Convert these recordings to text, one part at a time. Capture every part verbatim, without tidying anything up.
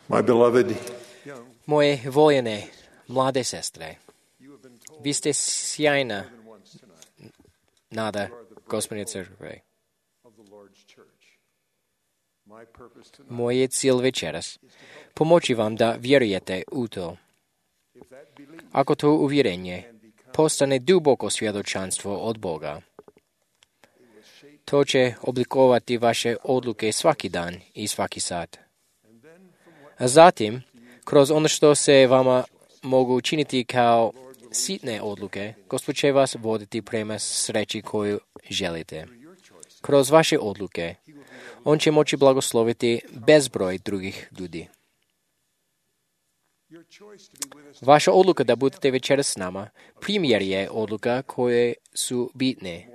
My beloved, Moje voljene mlade sestre, vi ste sjajna nada Gospodnje crkve. Moj je cilj večeras pomoći vam da vjerujete u to. Ako to uvjerenje postane duboko svjedočanstvo od Boga, to će oblikovati vaše odluke svaki dan i svaki sat. A zatim, kroz ono što se vama mogu učiniti kao sitne odluke, Gospod će vas voditi prema sreći koju želite. Kroz vaše odluke, On će moći blagosloviti bezbroj drugih ljudi. Vaša odluka da budete večeras s nama primjer je odluka koje su bitne.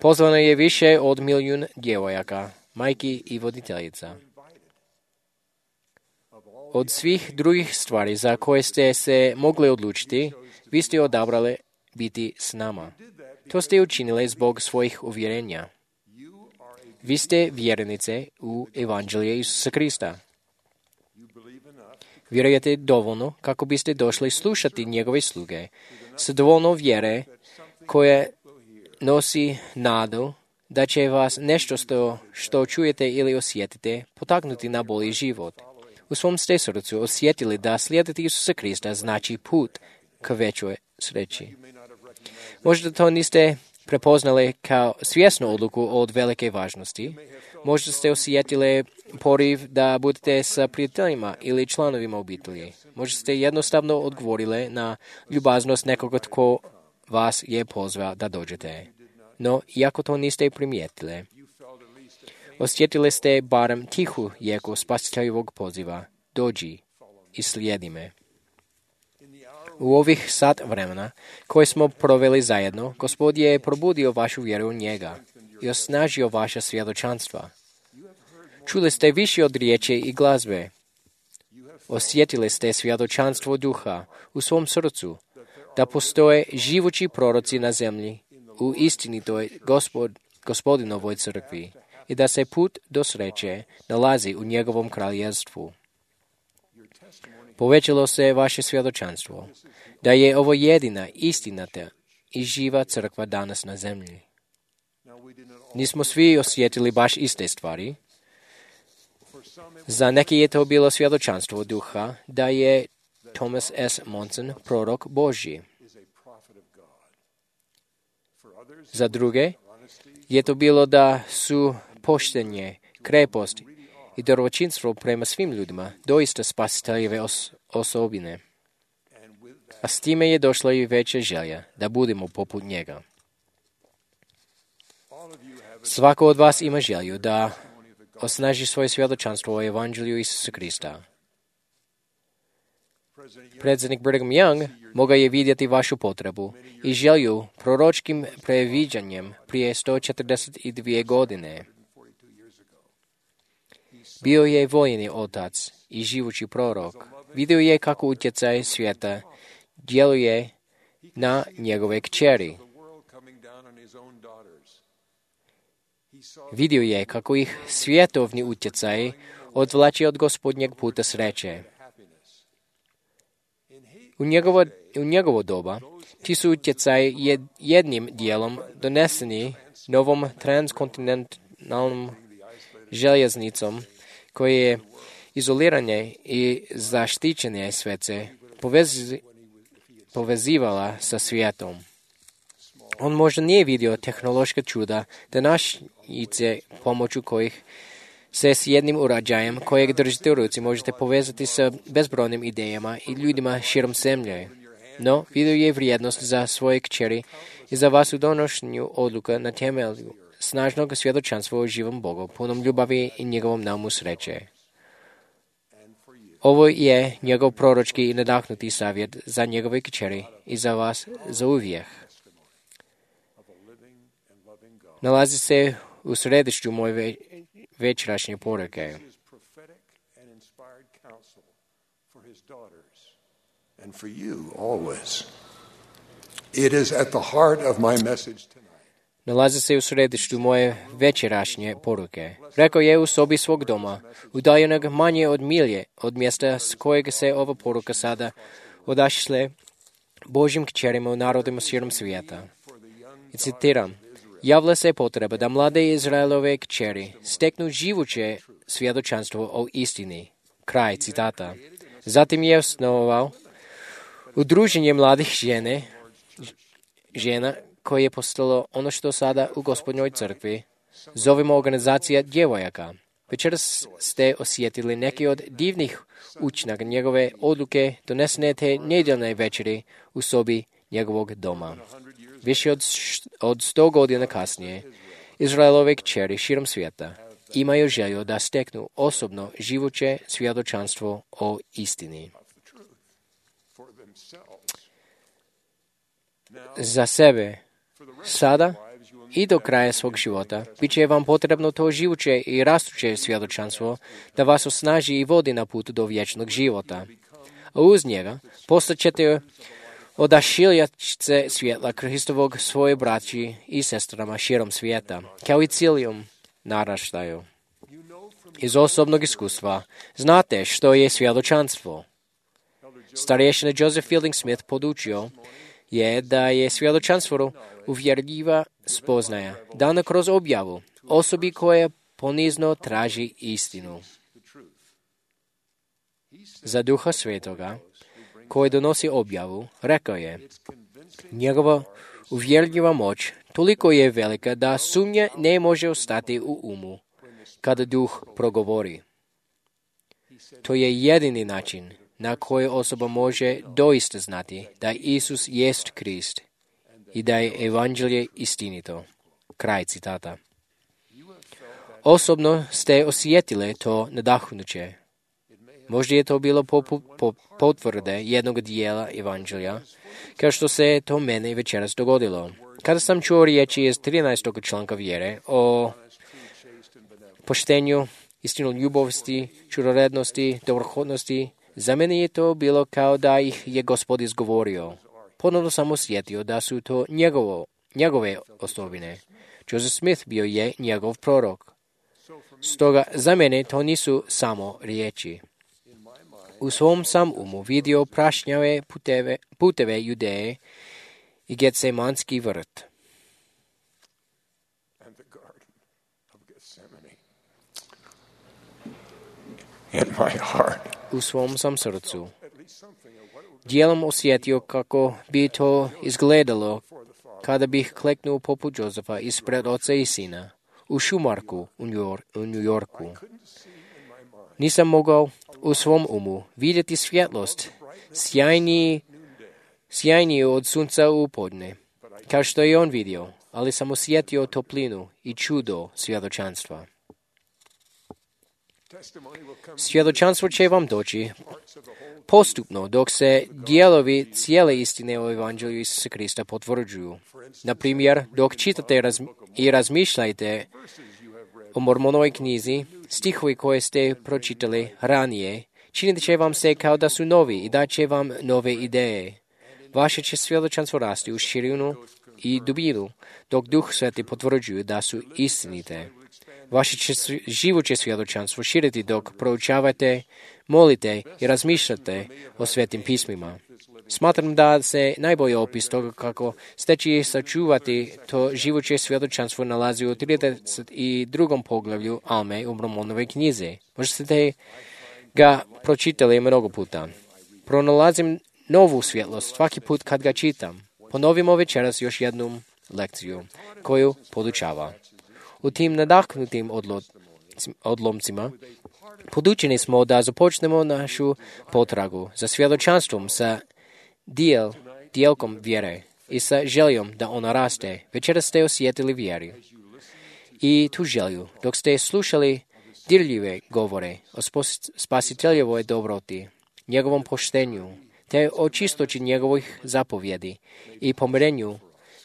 Pozvano je više od milijun djevojaka, majki i voditeljica. Od svih drugih stvari za koje ste se mogli odlučiti, vi ste odabrali biti s nama. To ste učinili zbog svojih uvjerenja. Vi ste vjernice u Evanđelje Isusa Krista. Vjerujete dovoljno kako biste došli slušati njegove sluge s dovoljno vjere koje nosi nadu da će vas nešto što, što čujete ili osjetite potaknuti na bolji život. U svom ste srcu osjetili da slijediti Isusa Krista znači put k većoj sreći. Možda to niste prepoznali kao svjesnu odluku od velike važnosti. Možda ste osjetili poriv da budete sa prijateljima ili članovima obitelji. Možda ste jednostavno odgovorili na ljubaznost nekoga tko vas je pozvao da dođete. No, iako to niste primijetili, osjetili ste barem tihu jeku spasiteljevog poziva. Dođi i slijedi me. U ovih sat vremena koje smo proveli zajedno, Gospod je probudio vašu vjeru u njega i osnažio vaša svjedočanstva. Čuli ste više od riječi i glazbe. Osjetili ste svjedočanstvo duha u svom srcu, da postoje živući proroci na zemlji u istinitoj gospod, gospodinovoj crkvi i da se put do sreće nalazi u njegovom kraljevstvu. Povećalo se vaše svjedočanstvo da je ovo jedina istinata i živa crkva danas na zemlji. Nismo svi osjetili baš iste stvari. Za neki je to bilo svjedočanstvo duha da je Thomas S. Monson prorok Božji. Za druge je to bilo da su poštenje, krepost i dobročinstvo prema svim ljudima doista spasiteljeve os- osobine. A s time je došla i veća želja da budemo poput njega. Svako od vas ima želju da osnaži svoje svjedočanstvo o Evanđelju Isusa Krista. Predsjednik Brigham Young mogao je vidjeti vašu potrebu i želju proročkim previđanjem prije sto četrdeset dvije godine. Bio je vojni otac i živući prorok. Vidio je kako utjecaj svijeta djeluje na njegove kćeri. Vidio je kako ih svjetovni utjecaj odvlači od Gospodnjeg puta sreće. U njegovo, u njegovo doba ti su utjecaj jed, jednim dijelom doneseni novom transkontinentalnom željeznicom koje je izoliranje i zaštićene svece povezi, povezivala sa svijetom. On možda nije vidio tehnološka čuda današnjice pomoću kojih se s jednim uređajem kojeg držite u ruci možete povezati sa bezbrojnim idejama i ljudima širom zemlje. No, vidio je vrijednost za svoje kćeri i za vas u donošenju odluka na temelju snažnog svjedočanstva o živom Bogu, punom ljubavi i njegovom naumu sreće. Ovo je njegov proročki i nadahnuti savjet za njegove kćeri i za vas za uvijek. Nalazi se u središću moje večerašnje poruke. and for you always. It is at the heart of my message tonight. nalazi se u središtu moje večerašnje poruke. Rekao je u sobi svog doma, udaljenog manje od milje od mjesta s kojeg se ova poruka sada odašle Božjim kćerima u narodima širom svijeta. I citiram, javlja se potreba da mlade Izraelove kćeri steknu živuće svjedočanstvo o istini. Kraj citata. Zatim je osnovao udruženje mladih žene, žena koje je postalo ono što sada u Gospodnjoj crkvi zovemo organizacija djevojaka. Večeras ste osjetili neki od divnih učinaka njegove odluke donesene te nedjeljne večeri u sobi njegovog doma. Više od, od sto godina kasnije, Izraelove kćeri širom svijeta imaju želju da steknu osobno živuće svjedočanstvo o istini. Za sebe, sada i do kraja svog života, bit će vam potrebno to živuće i rastuće svjedočanstvo da vas osnaži i vodi na put do vječnog života. A uz njega postaćete odašiljačice svjetla Hristovog svoje braći i sestrama širom svijeta, kao i cilijom naraštaju. Iz osobnog iskustva znate što je svjedočanstvo. Starješina Joseph Fielding Smith podučio je da je svjedočanstvo uvjerljiva spoznaja, dana kroz objavu osobi koja ponizno traži istinu. Za Duha Svetoga, koji donosi objavu, rekao je, njegova uvjerljiva moć toliko je velika da sumnja ne može ostati u umu kada Duh progovori. To je jedini način na koji osoba može doista znati da Isus jest Krist i da je evanđelje istinito. Kraj citata. Osobno ste osjetili to nadahnuće. Možda je to bilo poput po, potvrde jednog dijela evanđelja, kao što se to meni večeras dogodilo. Kada sam čuo riječi iz trinaestog članka vjere o poštenju, istinu ljubosti, čudorednosti, dobrohodnosti, za mene je to bilo kao da ih je Gospod izgovorio. Ponovno sam osjetio da su to njegovo, njegove osobine. Joseph Smith bio je njegov prorok. Stoga za mene to nisu samo riječi. U svom sam umu vidio prašnjave puteve, puteve Judeje i Getsemanski vrt. U svom sam srcu dijelom osjetio kako bi to izgledalo kada bih kleknuo poput Josefa ispred oca i sina u šumarku u New Yorku. Nisam mogao u svom umu vidjeti svjetlost sjajniji, sjajniju od sunca u podne, kao što je on vidio, ali sam osjetio toplinu i čudo svjedočanstva. Svjedočanstvo će vam doći postupno dok se dijelovi cijele istine o evanđelju Isusa Krista potvrđuju. Na primjer, dok čitate raz, i razmišljajte o Mormonovoj knjizi, stihovi koje ste pročitali ranije, činit će vam se kao da su novi i dat će vam nove ideje. Vaše će svjedočanstvo rasti u širinu i dubinu, dok Duh Sveti potvrđuje da su istinite. Vaše će živuće svjedočanstvo širiti dok proučavate, molite i razmišljate o svetim pismima. Smatram da se najbolji opis toga kako steći i sačuvati to živuće svjedočanstvo nalazi u trideset drugom poglavlju Alme u Mormonovoj knjizi. Možda ste ga pročitali mnogo puta. Pronalazim novu svjetlost svaki put kad ga čitam. Ponovimo večeras još jednu lekciju koju podučava. U tim nadahnutim odlomcima podučeni smo da započnemo našu potragu za svjedočanstvom sa dijel, dijelkom vjere i sa željom da ona raste. Večeras ste osjetili vjeru i tu želju dok ste slušali dirljive govore o spasiteljevoj dobroti, njegovom poštenju, te o čistoći njegovih zapovjedi i pomirenju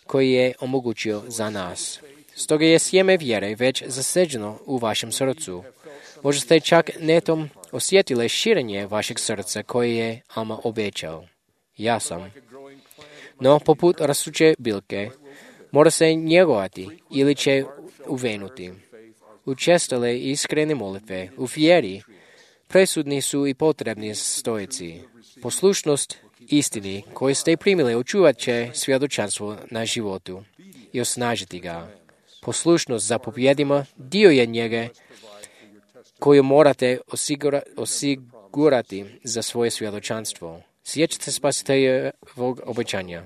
koji je omogućio za nas. Stoga je sjeme vjere već zaseđeno u vašem srcu. Možda ste čak netom osjetili širenje vašeg srca koje je Alma obećao. Ja sam. No, poput rastuće biljke, Mora se njegovati ili će uvenuti. Učestale iskrene molitve u vjeri presudni su i potrebni stojici. Poslušnost istini koju ste primili očuvat će svjedočanstvo na životu i osnažiti ga. Poslušnost zapovjedima dio je njega koju morate osigura, osigurati za svoje svjedočanstvo. Sjećate spasiteljevog obećanja.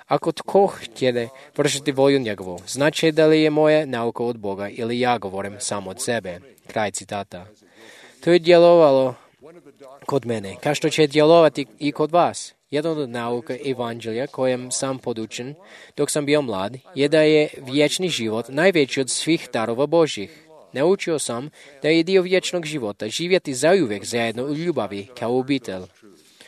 Ako tko htjede vršiti volju njegovu, znači da li je moja nauka od Boga ili ja govorim samo od sebe. Kraj citata. To je djelovalo kod mene, kao što će djelovati i kod vas. Jedan od nauka evanđelja kojem sam podučen dok sam bio mlad je da je vječni život najveći od svih darova Božjih. Naučio sam da je dio vječnog života živjeti zauvijek zajedno u ljubavi kao obitelj.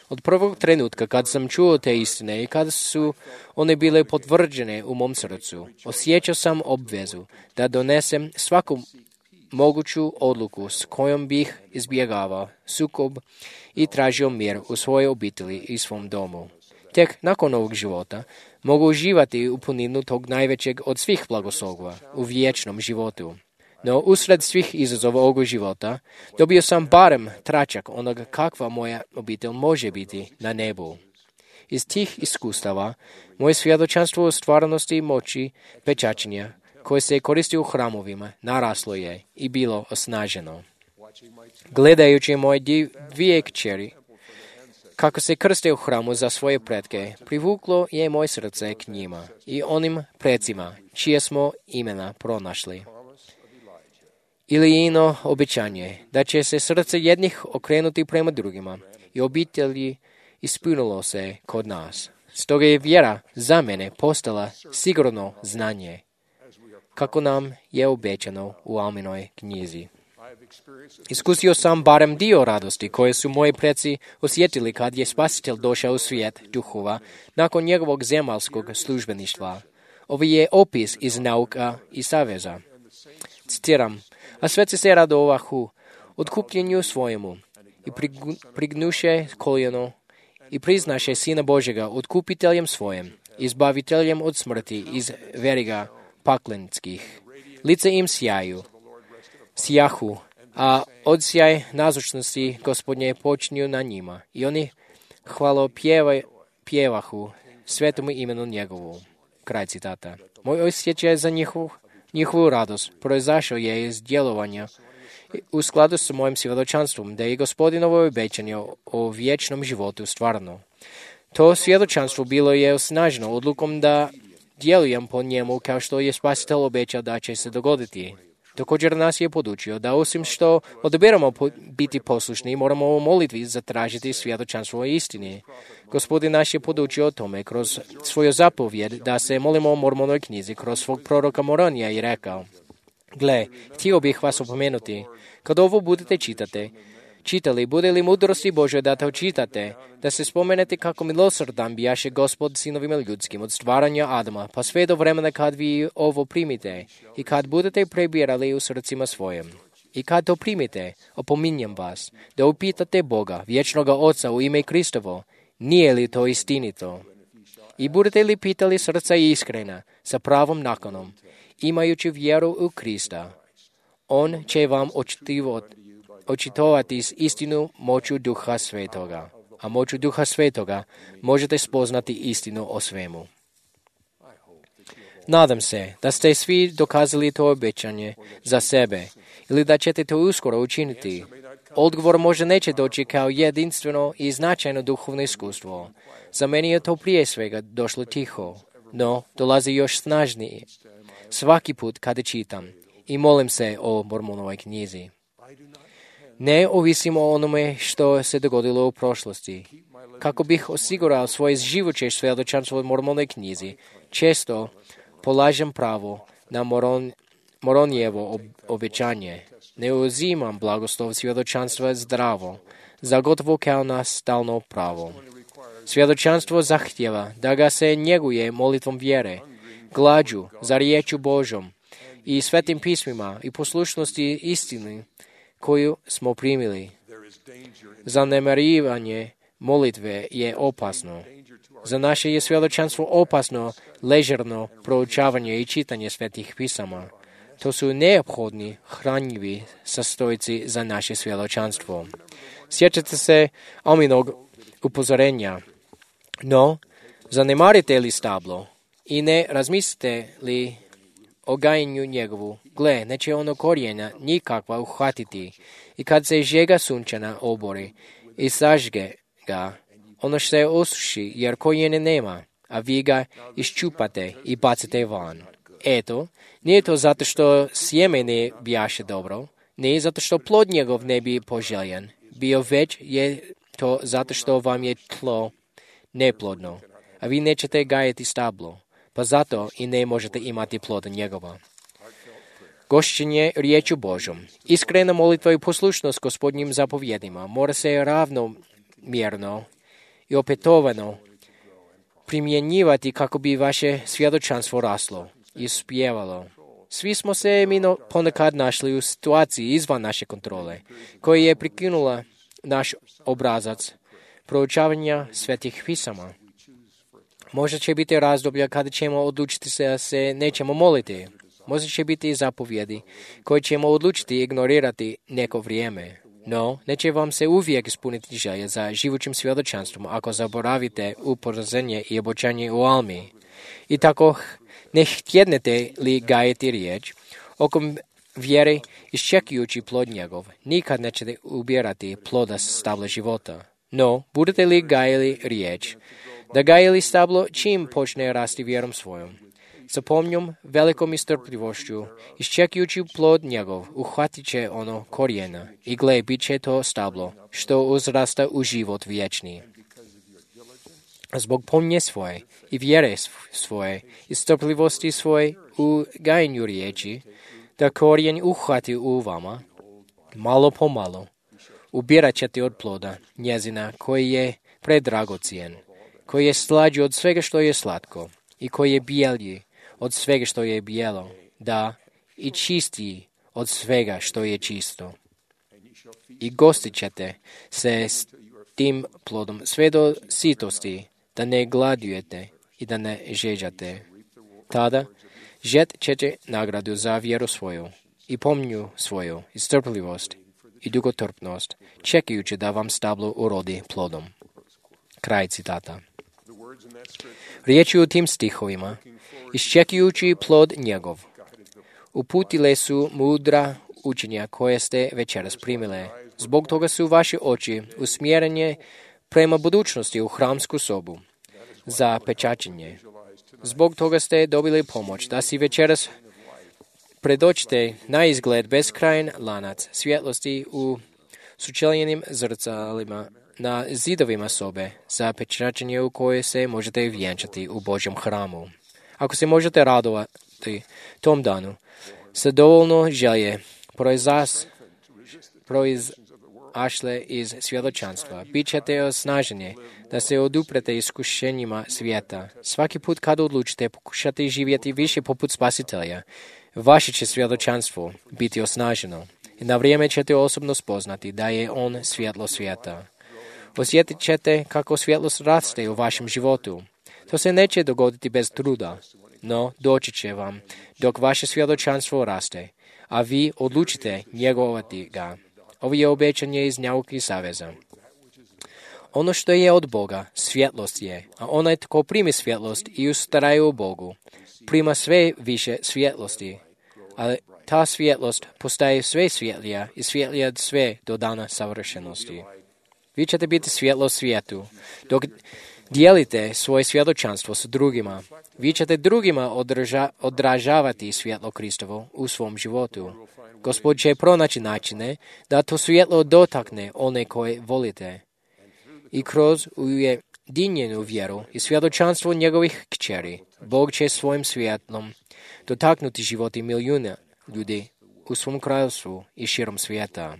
Od prvog trenutka kad sam čuo te istine i kada su one bile potvrđene u mom srcu, osjećao sam obvezu da donesem svaku moguću odluku s kojom bih izbjegavao sukob i tražio mir u svojoj obitelji i svom domu. Tek nakon ovog života mogu uživati u puninu tog najvećeg od svih blagoslova u vječnom životu. No, usred svih izazova ovog života, dobio sam barem tračak onoga kakva moja obitelj može biti na nebu. Iz tih iskustava, moje svjedočanstvo o stvarnosti i moći pečačenja, koje se koristi u hramovima, naraslo je i bilo osnaženo. Gledajući moje dvije kćeri, kako se krste u hramu za svoje pretke, privuklo je moje srce k njima i onim precima, čije smo imena pronašli. Ili ino obećanje, da će se srce jednih okrenuti prema drugima i obitelji ispunilo se kod nas. Stoga je vjera za mene postala sigurno znanje, kako nam je obećano u Alminoj knjizi. Iskusio sam barem dio radosti koje su moji preci osjetili kad je Spasitelj došao u svijet duhova nakon njegovog zemaljskog službeništva. Ovo je opis iz nauka i saveza. Citiram, a sveci se radovahu otkupljenju svojemu i prignuše koljeno i priznaše Sina Božjega otkupiteljem svojim, izbaviteljem od smrti iz veriga paklenskih. Lice im sjaju, sjahu, a odsjaj nazočnosti Gospodnje počinju na njima i oni hvalo pjeva, pjevahu svetomu imenu njegovu. Kraj citata. Moj osjećaj za njihov Njihovu radost proizašao je iz djelovanja u skladu s mojim svjedočanstvom da je Gospodinovo obećanje o vječnom životu stvarno. To svjedočanstvo bilo je osnaženo odlukom da djelujem po njemu kao što je Spasitelj obećao da će se dogoditi. Također nas je podučio da osim što odabiramo biti poslušni, moramo u molitvi zatražiti svjedočanstvo o istini. Gospodin naš je podučio o tome kroz svoju zapovjed da se molimo o Mormonoj knjizi kroz svog proroka Moronija i rekao: Gle, htio bih vas opomenuti, kad ovo budete čitati, čitali, bude li mudrosti Božje da to čitate, da se spomenete kako milosrdan bijaše Gospod sinovima ljudskim od stvaranja Adama, pa sve do vremena kad vi ovo primite i kad budete prebirali u srcima svojim. I kad to primite, opominjem vas, da upitate Boga, vječnoga Oca u ime Kristovo, nije li to istinito? I budete li pitali srca iskrena, sa pravom nakanom, imajući vjeru u Krista, On će vam očitivati očitovati s istinu moću Duha Svetoga, a moću Duha Svetoga možete spoznati istinu o svemu. Nadam se da ste svi dokazali to obećanje za sebe ili da ćete to uskoro učiniti. Odgovor možda neće doći kao jedinstveno i značajno duhovno iskustvo. Za meni je to prije svega došlo tiho, no dolazi još snažnije. Svaki put kada čitam i molim se o Mormonovoj knjizi. Ne ovisim o onome što se dogodilo u prošlosti. Kako bih osigurao svoje živoće svjedočanstvo u Mormonoj knjizi, često polažem pravo na Moron, Moronijevo obećanje. Ne uzimam blagoslov svjedočanstva zdravo, za gotovo kao na stalno pravo. Svjedočanstvo zahtjeva da ga se njeguje molitvom vjere, glađu za riječu Božom i svetim pismima i poslušnosti istini koju smo primili. Zanemarivanje molitve je opasno. За наше сведочанство опасно лежерно проучавanje i čitanje svetih pisama. To su neophodni, hranjivi sastojci za naše svjedočanstvo. Sjećate se Aminog upozorenja, no zanemarite li stablo i ne razmislite li o gajenju njegovu, gle, neće ono korijena nikakva uhvatiti i kad se žega sunčana obori i sažge ga, ono se osuši jer korijene nema, a vi ga iščupate i bacite van. Eto, nije to zato što sjeme ne bijaše dobro, ne zato što plod njegov ne bi poželjen, bio već je to zato što vam je tlo neplodno, a vi nećete gajati stablo, pa zato i ne možete imati ploda njegova. Gošćenje riječu Božom. Iskrena molitva i poslušnost Gospodnjim zapovjedima mora se ravnomjerno i opetovano primjenjivati kako bi vaše svjedočanstvo raslo i uspjevalo. Svi smo se mi ponekad našli u situaciji izvan naše kontrole, koja je prekinula naš obrazac proučavanja svetih pisama. Možda će biti razdoblja kada ćemo odlučiti se da se nećemo moliti. Možda će biti zapovjedi koje ćemo odlučiti ignorirati neko vrijeme. No, neće vam se uvijek ispuniti želje za živućim svjedočanstvom ako zaboravite upozorenje i obećanje u almi. I tako ne htjednete li gajiti riječ, oko vjere iščekujući plod njegov, nikad nećete ubirati ploda stabla života. No, budete li gajili riječ, da gajili stablo čim počne rasti vjerom svojom. Sa pomnjom, velikom istrpljivošću, iščekujući plod njegov, uhvatit će ono korijena i gle, bit će to stablo, što uzrasta u život vječni. Zbog pomnje svoje i vjere svoje i strpljivosti svoje u gajenju riječi, da korijen uhvati u vama, malo po malo, ubirat ćete od ploda njezina koji je predragocijen, koji je slađi od svega što je slatko i koji je bijelji od svega što je bijelo, da i čistiji od svega što je čisto. I gostit ćete se s tim plodom sve do sitosti, da ne gladujete i da ne žeđate. Tada žet ćete nagradu za vjeru svoju i pomnju svoju i strpljivost i dugotrpnost, čekajući da vam stablo urodi plodom. Kraj citata. Riječi u tim stihovima, iščekujući plod njegov, uputile su mudra učenja koje ste večeras primile. Zbog toga su vaše oči usmjerene prema budućnosti u hramsku sobu za pečačenje. Zbog toga ste dobili pomoć da si večeras predočite na izgled beskrajan lanac svjetlosti u sučeljenim zrcalima na zidovima sobe za pečačenje u koje se možete vjenčati u Božjem hramu. Ako se možete radovati tom danu, sa dovoljno želje proizas, proizašle iz svjedočanstva, bit ćete osnaženi da se oduprete iskušenjima svijeta. Svaki put kad odlučite pokušati živjeti više poput Spasitelja, vaše će svjedočanstvo biti osnaženo i na vrijeme ćete osobno spoznati da je On svjetlo svijeta. Osjetit ćete kako svjetlost raste u vašem životu. To se neće dogoditi bez truda, no doći će vam dok vaše svjedočanstvo raste, a vi odlučite njegovati ga. Ovo je obećanje iz nauke saveza. Ono što je od Boga, svjetlost je, a onaj tko primi svjetlost i ustraje u Bogu, prima sve više svjetlosti, ali ta svjetlost postaje sve svjetlija i svjetlija sve do dana savršenosti. Vi ćete biti svjetlo svijetu, dok dijelite svoje svjedočanstvo s drugima. Vi ćete drugima održa, odražavati svjetlo Kristovo u svom životu. Gospod će pronaći načine da to svjetlo dotakne one koje volite. I kroz ujedinjenu vjeru i svjedočanstvo njegovih kćeri, Bog će svojim svjetlom dotaknuti životi milijuna ljudi u svom kraljevstvu i širom svijeta.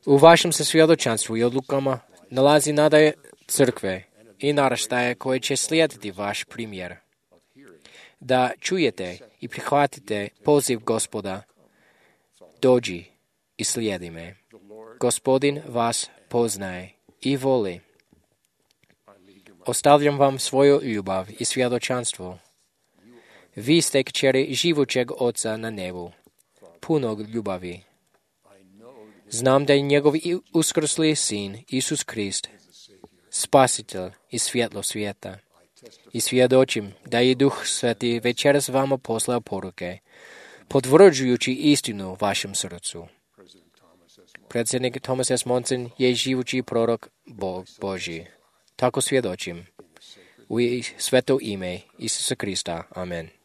U vašem se svjedočanstvu i odlukama nalazi nada crkve i naraštaje koje će slijediti vaš primjer. Da čujete i prihvatite poziv Gospoda, dođi i slijedi me. Gospodin vas poznaje i voli. Ostavljam vam svoju ljubav i svjedočanstvo. Vi ste kćeri živućeg Oca na nebu, punog ljubavi. Znam da je njegov uskrsli sin, Isus Krist, spasitelj i svjetlo svijeta. I svjedočim da je Duh Sveti večeras vama poslao poruke, potvrđujući istinu vašem srcu. Predsjednik Thomas S. Monson je živući prorok Bog Božji. Tako svjedočim. U sveto ime Isusa Krista. Amen.